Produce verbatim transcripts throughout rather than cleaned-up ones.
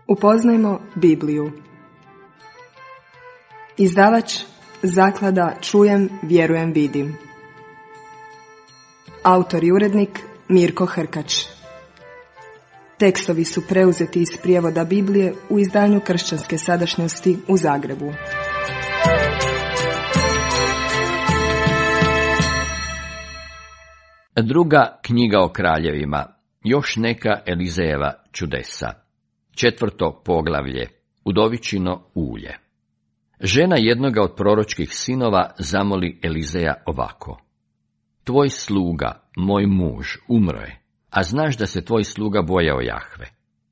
Upoznajmo Bibliju. Izdavač Zaklada Čujem, vjerujem, vidim. Autor i urednik Mirko Hrkač. Tekstovi su preuzeti iz prijevoda Biblije u izdanju Kršćanske sadašnjosti u Zagrebu. Druga knjiga o kraljevima, još neka Elizejeva čudesa. Četvrto poglavlje, udovičino ulje. Žena jednoga od proročkih sinova zamoli Elizeja ovako: Tvoj sluga, moj muž, umro je, a znaš da se tvoj sluga bojao Jahve.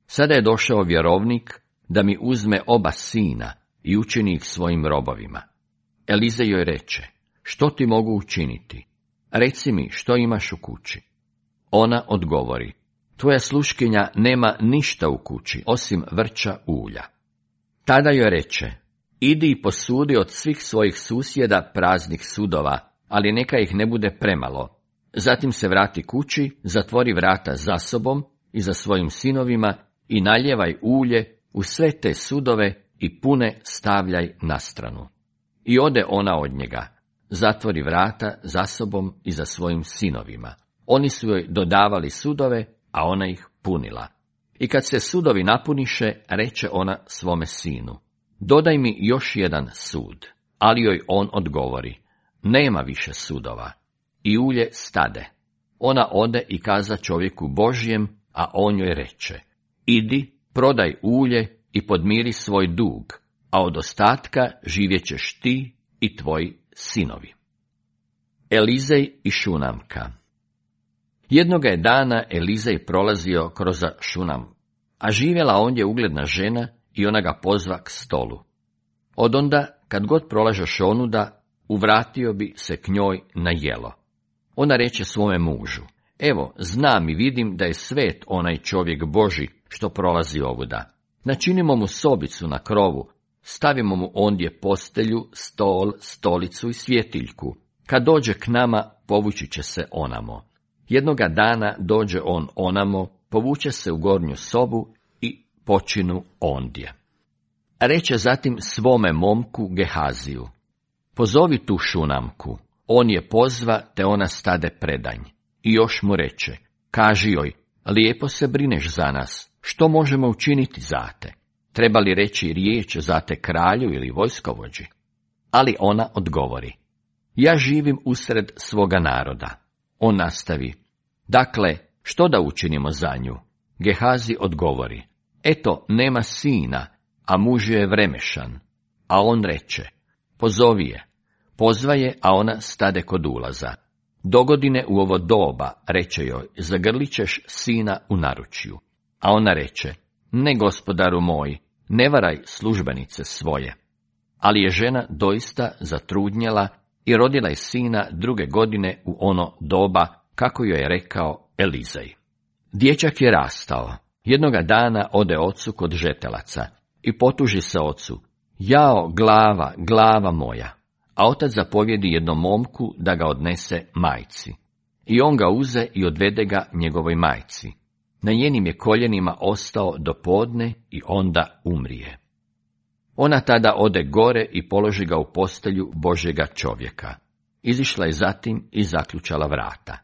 Sada je došao vjerovnik da mi uzme oba sina i učini ih svojim robovima. Elizej joj reče: Što ti mogu učiniti? Reci mi što imaš u kući. Ona odgovori: Tvoja sluškinja nema ništa u kući, osim vrča ulja. Tada joj reče: Idi i posudi od svih svojih susjeda praznih sudova, ali neka ih ne bude premalo. Zatim se vrati kući, zatvori vrata za sobom i za svojim sinovima i naljevaj ulje u sve te sudove i pune stavljaj na stranu. I ode ona od njega, zatvori vrata za sobom i za svojim sinovima. Oni su joj dodavali sudove, a ona ih punila. I kad se sudovi napuniše, reče ona svome sinu: Dodaj mi još jedan sud. Ali joj on odgovori: Nema više sudova. I ulje stade. Ona ode i kaza čovjeku Božjem, a on joj reče: Idi, prodaj ulje i podmiri svoj dug, a od ostatka živjećeš ti i tvoji sinovi. Elizej i Šunamka. Jednoga je dana Elizej prolazio kroz Šunam, a živjela ondje ugledna žena i ona ga pozva k stolu. Odonda, kad god prolažeš onuda, uvratio bi se k njoj na jelo. Ona reče svome mužu: Evo, znam i vidim da je svet onaj čovjek Boži što prolazi ovuda. Načinimo mu sobicu na krovu, stavimo mu ondje postelju, stol, stolicu i svjetiljku. Kad dođe k nama, povući će se onamo. Jednoga dana dođe on onamo, povuče se u gornju sobu i počinu ondje. Reče zatim svome momku Gehaziju: Pozovi tu Šunamku. On je pozva, te ona stade predanj. I još mu reče: Kaži joj, lijepo se brineš za nas, što možemo učiniti za te? Treba li reći riječ za te kralju ili vojskovođi? Ali ona odgovori: Ja živim usred svoga naroda. On nastavi: Dakle, što da učinimo za nju? Gehazi odgovori: Eto, nema sina, a muž je vremešan. A on reče: Pozovi je. Pozva je, a ona stade kod ulaza. Dogodine u ovo doba, reče joj, zagrlit ćeš sina u naručju. A ona reče: Ne, gospodaru moj, ne varaj službenice svoje. Ali je žena doista zatrudnjela i rodila je sina druge godine u ono doba, kako joj je rekao Elizej. Dječak je rastao. Jednoga dana ode ocu kod žetelaca i potuži se ocu: Jao, glava, glava moja. A otac zapovjedi jednom momku da ga odnese majci. I on ga uze i odvede ga njegovoj majci. Na njenim je koljenima ostao do podne i onda umrije. Ona tada ode gore i položi ga u postelju Božjega čovjeka. Izišla je zatim i zaključala vrata.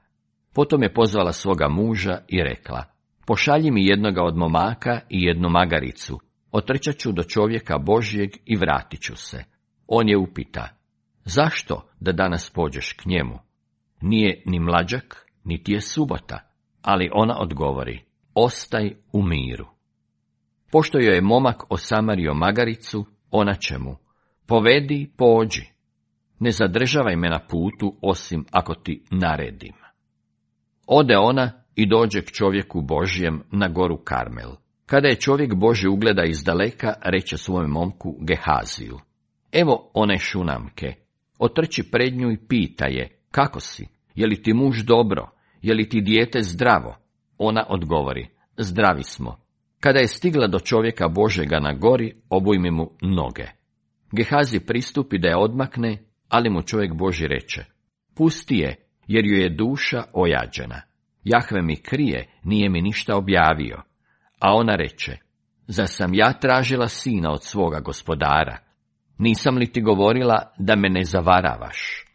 Potom je pozvala svoga muža i rekla: Pošalji mi jednoga od momaka i jednu magaricu, otrčat ću do čovjeka Božjeg i vratit ću se. On je upita: Zašto da danas pođeš k njemu? Nije ni mlađak, niti je subota. Ali ona odgovori: Ostaj u miru. Pošto joj je momak osamario magaricu, ona će mu: Povedi, pođi. Ne zadržavaj me na putu, osim ako ti naredim. Ode ona i dođe k čovjeku Božjem na goru Karmel. Kada je čovjek Božji ugleda izdaleka, reče svome momku Gehaziju: Evo one Šunamke. Otrči pred nju i pita je: Kako si? Je li ti muž dobro? Je li ti dijete zdravo? Ona odgovori: Zdravi smo. Kada je stigla do čovjeka Božjega na gori, obujmi mu noge. Gehazi pristupi da je odmakne, ali mu čovjek Božji reče: Pusti je, jer ju je duša ojađena. Jahve mi krije, nije mi ništa objavio. A ona reče: Zar sam ja tražila sina od svoga gospodara? Nisam li ti govorila da me ne zavaravaš?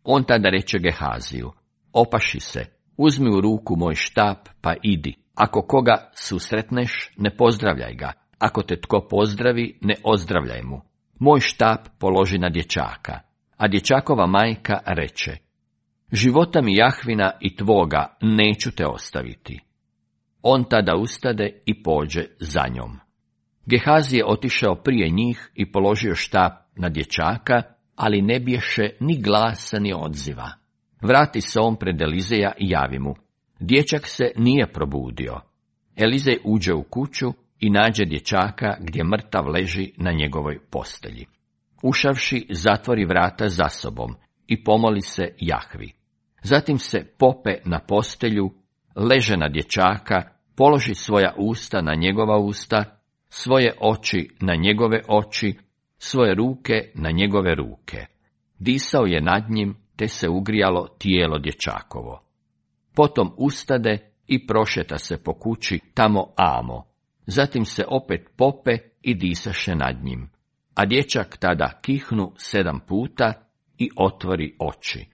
On tada reče Gehaziju, opaši se, uzmi u ruku moj štap pa idi. Ako koga susretneš, ne pozdravljaj ga. Ako te tko pozdravi, ne ozdravljaj mu. Moj štap položi na dječaka. A dječakova majka reče, života mi Jahvina i tvoga neću te ostaviti. On tada ustade i pođe za njom. Gehazi je otišao prije njih i položio štap na dječaka, ali ne bješe ni glasa ni odziva. Vrati se on pred Elizeja i javi mu. Dječak se nije probudio. Elizej uđe u kuću i nađe dječaka gdje mrtav leži na njegovoj postelji. Ušavši, zatvori vrata za sobom i pomoli se Jahvi. Zatim se pope na postelju, leže na dječaka, položi svoja usta na njegova usta, svoje oči na njegove oči, svoje ruke na njegove ruke. Disao je nad njim, te se ugrijalo tijelo dječakovo. Potom ustade i prošeta se po kući tamo amo. Zatim se opet pope i disaše nad njim. A dječak tada kihnu sedam puta i otvori oči.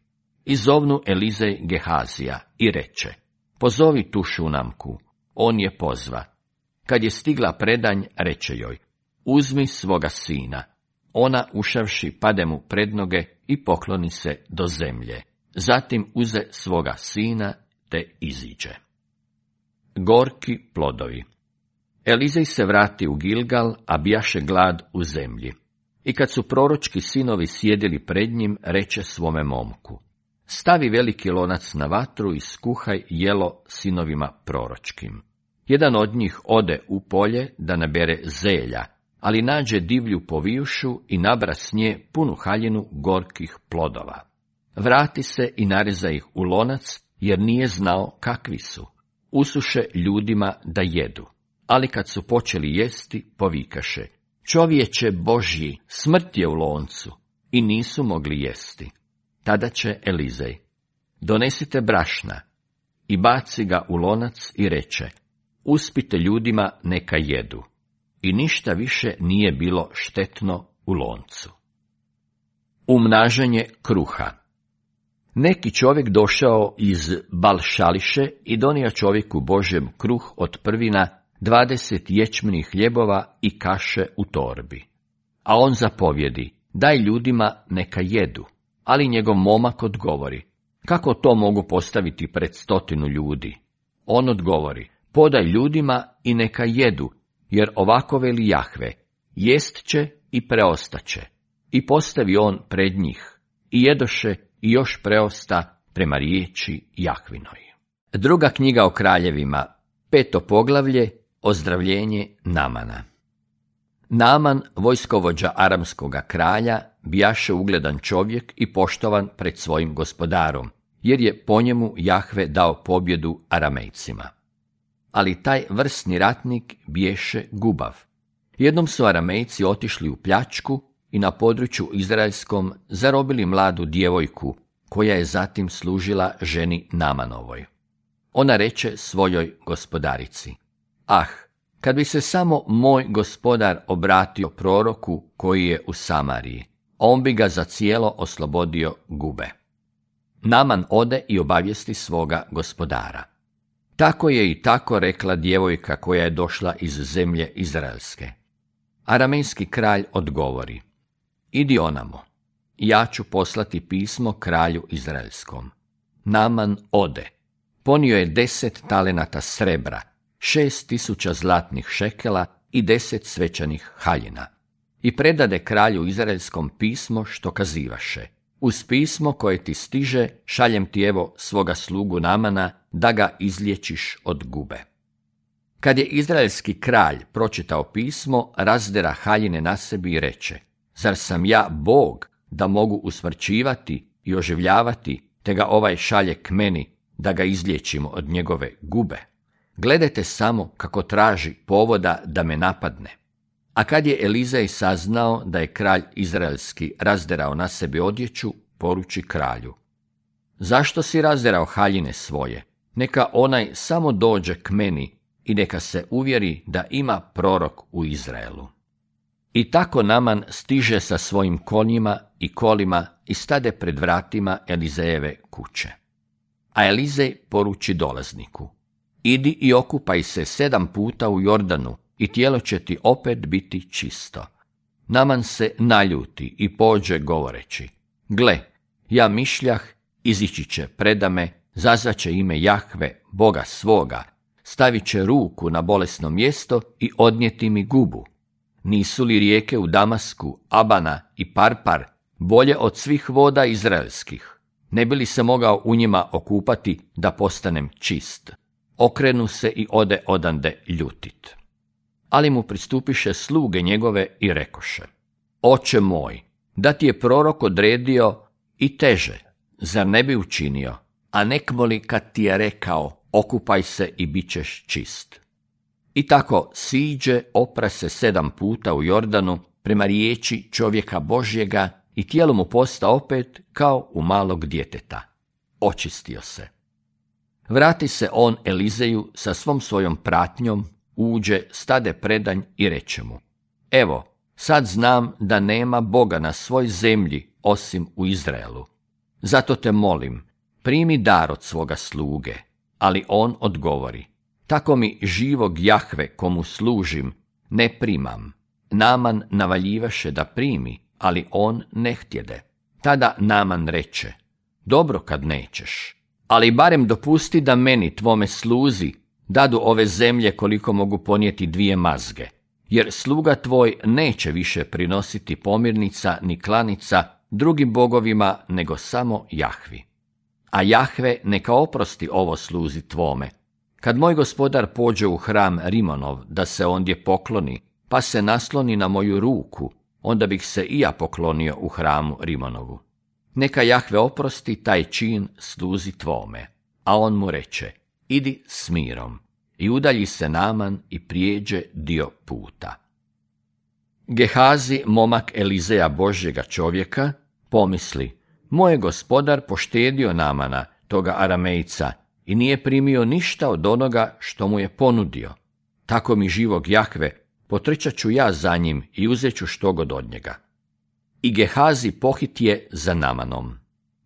I zovnu Elizej Gehazija i reče, pozovi tu Šunamku. On je pozva. Kad je stigla predanj, reče joj, uzmi svoga sina. Ona, ušavši, pade mu pred noge i pokloni se do zemlje. Zatim uze svoga sina te iziđe. Gorki plodovi. Elizej se vrati u Gilgal, a bijaše glad u zemlji. I kad su proročki sinovi sjedili pred njim, reče svome momku, stavi veliki lonac na vatru i skuhaj jelo sinovima proročkim. Jedan od njih ode u polje da nabere zelja, ali nađe divlju povijušu i nabra s nje punu haljinu gorkih plodova. Vrati se i nareza ih u lonac, jer nije znao kakvi su. Usuše ljudima da jedu. Ali kad su počeli jesti, povikaše, čovječe Božji, smrt je u loncu, i nisu mogli jesti. Tada će Elizej, donesite brašna, i baci ga u lonac i reče, uspite ljudima neka jedu. I ništa više nije bilo štetno u loncu. Umnažanje kruha. Neki čovjek došao iz Balšališe i donio čovjeku Božjem kruh od prvina, dvadeset ječmenih hljebova i kaše u torbi. A on zapovjedi, daj ljudima neka jedu. Ali njegov momak odgovori, kako to mogu postaviti pred stotinu ljudi? On odgovori, podaj ljudima i neka jedu, jer ovako veli Jahve, jest će i preostaće. I postavi on pred njih, i jedoše i još preosta prema riječi Jahvinoj. Druga knjiga o kraljevima, peto poglavlje, ozdravljenje Namana. Naman, vojskovođa aramskoga kralja, bijaše ugledan čovjek i poštovan pred svojim gospodarom, jer je po njemu Jahve dao pobjedu Aramejcima. Ali taj vrsni ratnik biješe gubav. Jednom su Aramejci otišli u pljačku i na području izraelskom zarobili mladu djevojku, koja je zatim služila ženi Namanovoj. Ona reče svojoj gospodarici, ah, kad bi se samo moj gospodar obratio proroku koji je u Samariji, on bi ga za cijelo oslobodio gube. Naman ode i obavijesti svoga gospodara. Tako je i tako rekla djevojka koja je došla iz zemlje izraelske. Aramejski kralj odgovori, idi onamo, ja ću poslati pismo kralju izraelskom. Naman ode. Ponio je deset talenata srebra, šest tisuća zlatnih šekela i deset svečanih haljina. I predade kralju izraelskom pismo što kazivaše. Uz pismo koje ti stiže, šaljem ti evo svoga slugu Namana, da ga izliječiš od gube. Kad je izraelski kralj pročitao pismo, razdera haljine na sebi i reče, zar sam ja Bog da mogu usmrćivati i oživljavati, te ga ovaj šalje k meni, da ga izliječimo od njegove gube? Gledajte samo kako traži povoda da me napadne. A kad je Elizej saznao da je kralj izraelski razderao na sebi odjeću, poruči kralju, zašto si razderao haljine svoje? Neka onaj samo dođe k meni, i neka se uvjeri da ima prorok u Izraelu. I tako Naman stiže sa svojim konjima i kolima i stade pred vratima Elizejeve kuće. A Elizej poruči dolazniku: idi i okupaj se sedam puta u Jordanu i tijelo će ti opet biti čisto. Naman se naljuti i pođe govoreći: gle, ja mišljah, izići će predame, zazvaće ime Jahve, Boga svoga, stavit će ruku na bolesno mjesto i odnijeti mi gubu. Nisu li rijeke u Damasku, Abana i Parpar bolje od svih voda izraelskih? Ne bi li se mogao u njima okupati da postanem čist? Okrenu se i ode odande ljutit. Ali mu pristupiše sluge njegove i rekoše: oče moj, da ti je prorok odredio i teže, zar ne bi učinio? A nekmo li kad ti je rekao: okupaj se i bit ćeš čist? I tako siđe, opra se sedam puta u Jordanu prema riječi čovjeka Božjega i tijelo mu posta opet kao u malog djeteta. Očistio se. Vrati se on Elizeju sa svom svojom pratnjom, uđe, stade predanj i reče mu: evo, sad znam da nema Boga na svoj zemlji osim u Izraelu. Zato te molim, primi dar od svoga sluge. Ali on odgovori: tako mi živog Jahve komu služim ne primam. Naman navaljivaše da primi, ali on ne htjede. Tada Naman reče: dobro kad nećeš, ali barem dopusti da meni, tvome sluzi, dadu ove zemlje koliko mogu ponijeti dvije mazge, jer sluga tvoj neće više prinositi pomirnica ni klanica drugim bogovima nego samo Jahvi. A Jahve neka oprosti ovo sluzi tvome. Kad moj gospodar pođe u hram Rimonov da se ondje pokloni, pa se nasloni na moju ruku, onda bih se i ja poklonio u hramu Rimonovu. Neka Jahve oprosti taj čin sluzi tvome. A on mu reče: idi s mirom. I udalji se Naman i prijeđe dio puta. Gehazi, momak Elizeja Božjega čovjeka, pomisli: moj je gospodar poštedio Namana, toga Aramejca, i nije primio ništa od onoga što mu je ponudio. Tako mi živog Jahve, potrčat ću ja za njim i uzet ću štogod od njega. I Gehazi pohitje za Namanom.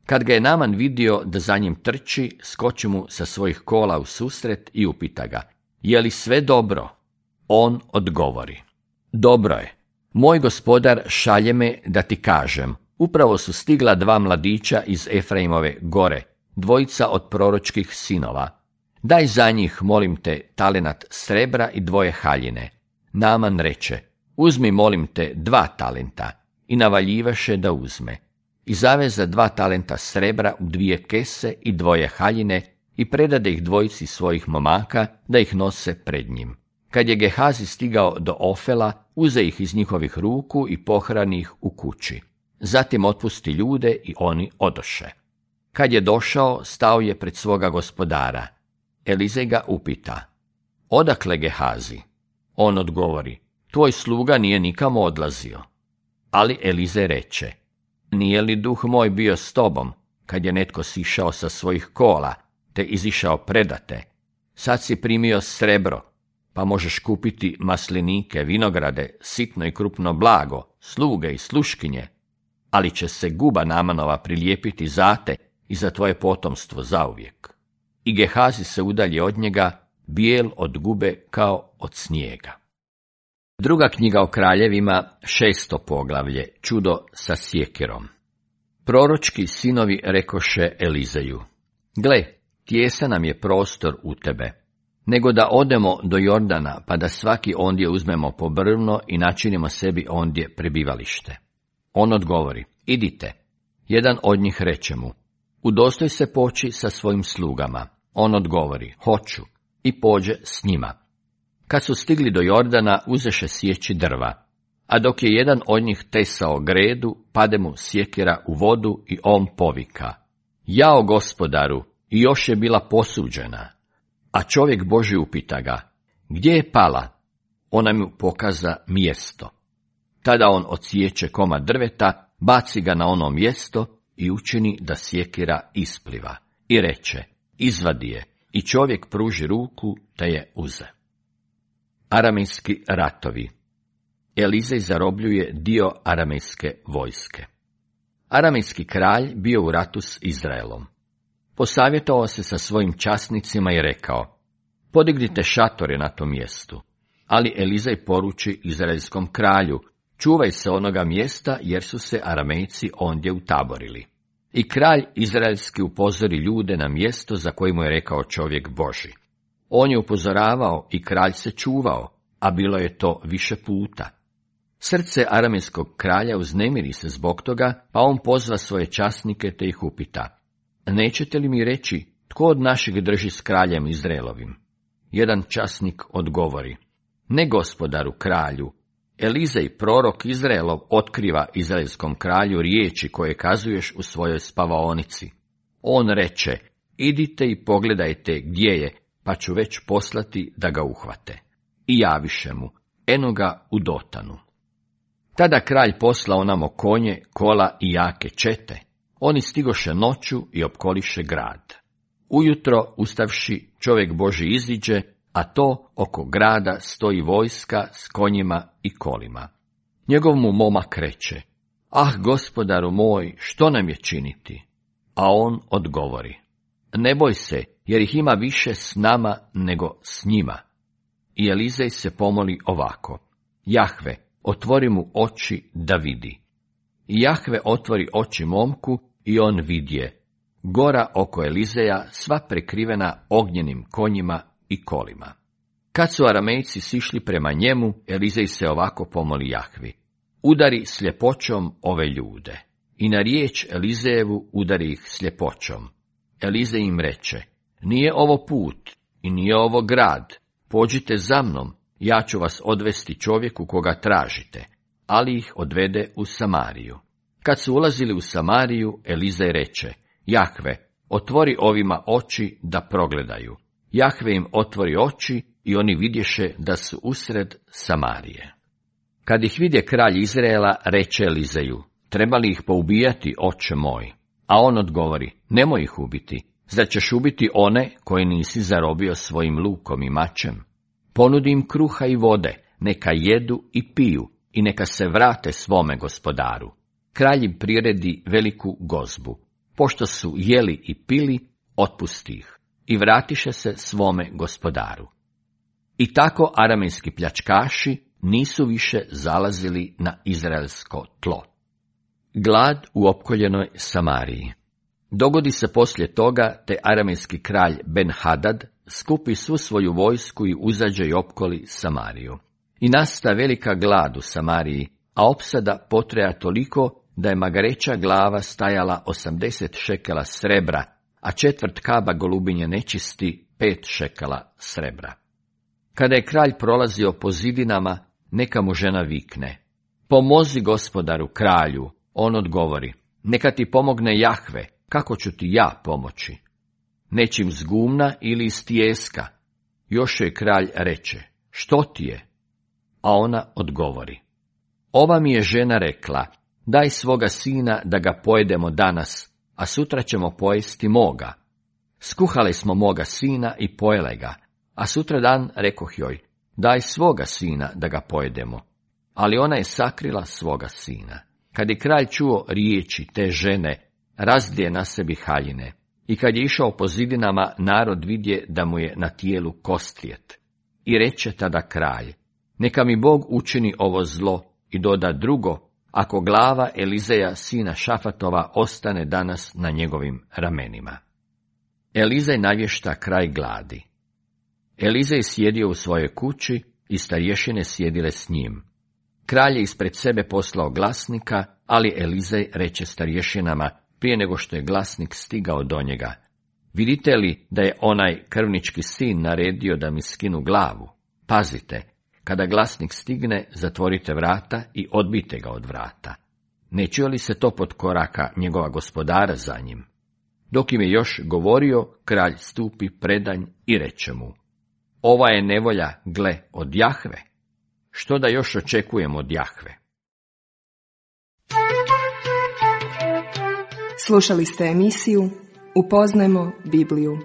Kad ga je Naman vidio da za njim trči, skoči mu sa svojih kola u susret i upita ga: je li sve dobro? On odgovori: dobro je. Moj gospodar šalje me da ti kažem: upravo su stigla dva mladića iz Efraimove gore, dvojica od proročkih sinova. Daj za njih, molim te, talenat srebra i dvoje haljine. Naman reče: uzmi, molim te, dva talenta. I navaljivaše da uzme. I zaveza dva talenta srebra u dvije kese i dvoje haljine i predade ih dvojici svojih momaka da ih nose pred njim. Kad je Gehazi stigao do Ofela, uze ih iz njihovih ruku i pohrani ih u kući. Zatim otpusti ljude i oni odoše. Kad je došao, stao je pred svoga gospodara. Elizej ga upita: odakle, Gehazi? On odgovori: tvoj sluga nije nikamo odlazio. Ali Elizej reče: nije li duh moj bio s tobom, kad je netko sišao sa svojih kola, te izišao predate? Sad si primio srebro, pa možeš kupiti maslinike, vinograde, sitno i krupno blago, sluge i sluškinje, ali će se guba Namanova prilijepiti za te i za tvoje potomstvo zauvijek. I Gehazi se udalje od njega, bijel od gube kao od snijega. Druga knjiga o kraljevima, šesto poglavlje, čudo sa sjekirom. Proročki sinovi rekoše Elizeju: gle, tijesan nam je prostor u tebe, nego da odemo do Jordana, pa da svaki ondje uzmemo po brvno i načinimo sebi ondje prebivalište. On odgovori: idite. Jedan od njih reče mu: udostoj se poći sa svojim slugama. On odgovori: hoću. I pođe s njima. Kad su stigli do Jordana, uzeše sjeći drva, a dok je jedan od njih tesao gredu, pade mu sjekira u vodu i on povika: jao gospodaru, i još je bila posuđena. A čovjek Božji upita ga: gdje je pala? Ona mu pokaza mjesto. Tada on odsječe komad drveta, baci ga na ono mjesto i učini da sjekira ispliva. I reče: izvadi je. I čovjek pruži ruku, te je uze. Aramejski ratovi. Elizej zarobljuje dio aramejske vojske. Aramejski kralj bio u ratu s Izraelom. Posavjetovao se sa svojim časnicima i rekao: podignite šatore na tom mjestu. Ali Elizej poruči izraelskom kralju: čuvaj se onoga mjesta, jer su se Aramejci ondje utaborili. I kralj izraelski upozori ljude na mjesto za koje mu je rekao čovjek Božji. On je upozoravao i kralj se čuvao, a bilo je to više puta. Srce aramejskog kralja uznemiri se zbog toga, pa on pozva svoje časnike te ih upita: nećete li mi reći tko od naših drži s kraljem Izraelovim? Jedan časnik odgovori: ne, gospodaru kralju. Elizej, prorok Izraelov, otkriva izraelskom kralju riječi koje kazuješ u svojoj spavaonici. On reče: idite i pogledajte gdje je, pa ću već poslati da ga uhvate. I javiše mu: eno ga u Dotanu. Tada kralj poslao namo konje, kola i jake čete. Oni stigoše noću i opkoliše grad. Ujutro, ustavši, čovjek Božji iziđe, a to oko grada stoji vojska s konjima i kolima. Njegov mu momak reče: ah, gospodaru moj, što nam je činiti? A on odgovori: ne boj se, jer ih ima više s nama nego s njima. I Elizej se pomoli ovako: Jahve, otvori mu oči da vidi. I Jahve otvori oči momku i on vidje: gora oko Elizeja sva prekrivena ognjenim konjima i kolima. Kad su Aramejci sišli prema njemu, Elizej se ovako pomoli Jahvi: udari sljepoćom ove ljude. I na riječ Elizejevu udari ih sljepoćom. Elizej im reče: nije ovo put i nije ovo grad, pođite za mnom, ja ću vas odvesti čovjeku koga tražite. Ali ih odvede u Samariju. Kad su ulazili u Samariju, Elizej reče: Jahve, otvori ovima oči da progledaju. Jahve im otvori oči i oni vidješe da su usred Samarije. Kad ih vidje kralj Izraela, reče Elizeju: treba li ih poubijati, oče moj? A on odgovori: nemoj ih ubiti. Zar ćeš ubiti one koje nisi zarobio svojim lukom i mačem? Ponudi im kruha i vode, neka jedu i piju i neka se vrate svome gospodaru. Kralj im priredi veliku gozbu. Pošto su jeli i pili, otpusti ih i vratiše se svome gospodaru. I tako aramejski pljačkaši nisu više zalazili na izraelsko tlo. Glad u opkoljenoj Samariji. Dogodi se poslije toga, te aramejski kralj Ben-Hadad skupi svu svoju vojsku i uzađe i opkoli Samariju. I nasta velika glad u Samariji, a opsada potreja toliko da je magareća glava stajala osamdeset šekela srebra, a četvrt kaba golubinje nečisti pet šekela srebra. Kada je kralj prolazio po zidinama, neka mu žena vikne: pomozi gospodaru kralju. On odgovori: neka ti pomogne Jahve, kako ću ti ja pomoći? Nečim z gumna ili iz tijeska? Još joj kralj reče: što ti je? A ona odgovori: ova mi je žena rekla: daj svoga sina da ga pojedemo danas, a sutra ćemo pojesti moga. Skuhali smo moga sina i pojele ga, a sutra dan rekoh joj: daj svoga sina da ga pojedemo. Ali ona je sakrila svoga sina. Kad je kralj čuo riječi te žene, razdje na sebi haljine. I kad je išao po zidinama, narod vidje da mu je na tijelu kostlijet. I reče tada kralj: neka mi Bog učini ovo zlo i doda drugo, ako glava Elizeja sina Šafatova ostane danas na njegovim ramenima. Elizej navješta kraj gladi. Elizej sjedio u svojoj kući i starješine sjedile s njim. Kralj je ispred sebe poslao glasnika, ali Elizej reče starješinama prije nego što je glasnik stigao do njega: vidite li da je onaj krvnički sin naredio da mi skinu glavu? Pazite, kada glasnik stigne, zatvorite vrata i odbijte ga od vrata. Ne čuje li se to pod koraka njegova gospodara za njim? Dok im je još govorio, kralj stupi predanj i reče mu: ova je nevolja, gle, od Jahve. Što da još očekujemo od Jahve? Slušali ste emisiju Upoznajmo Bibliju.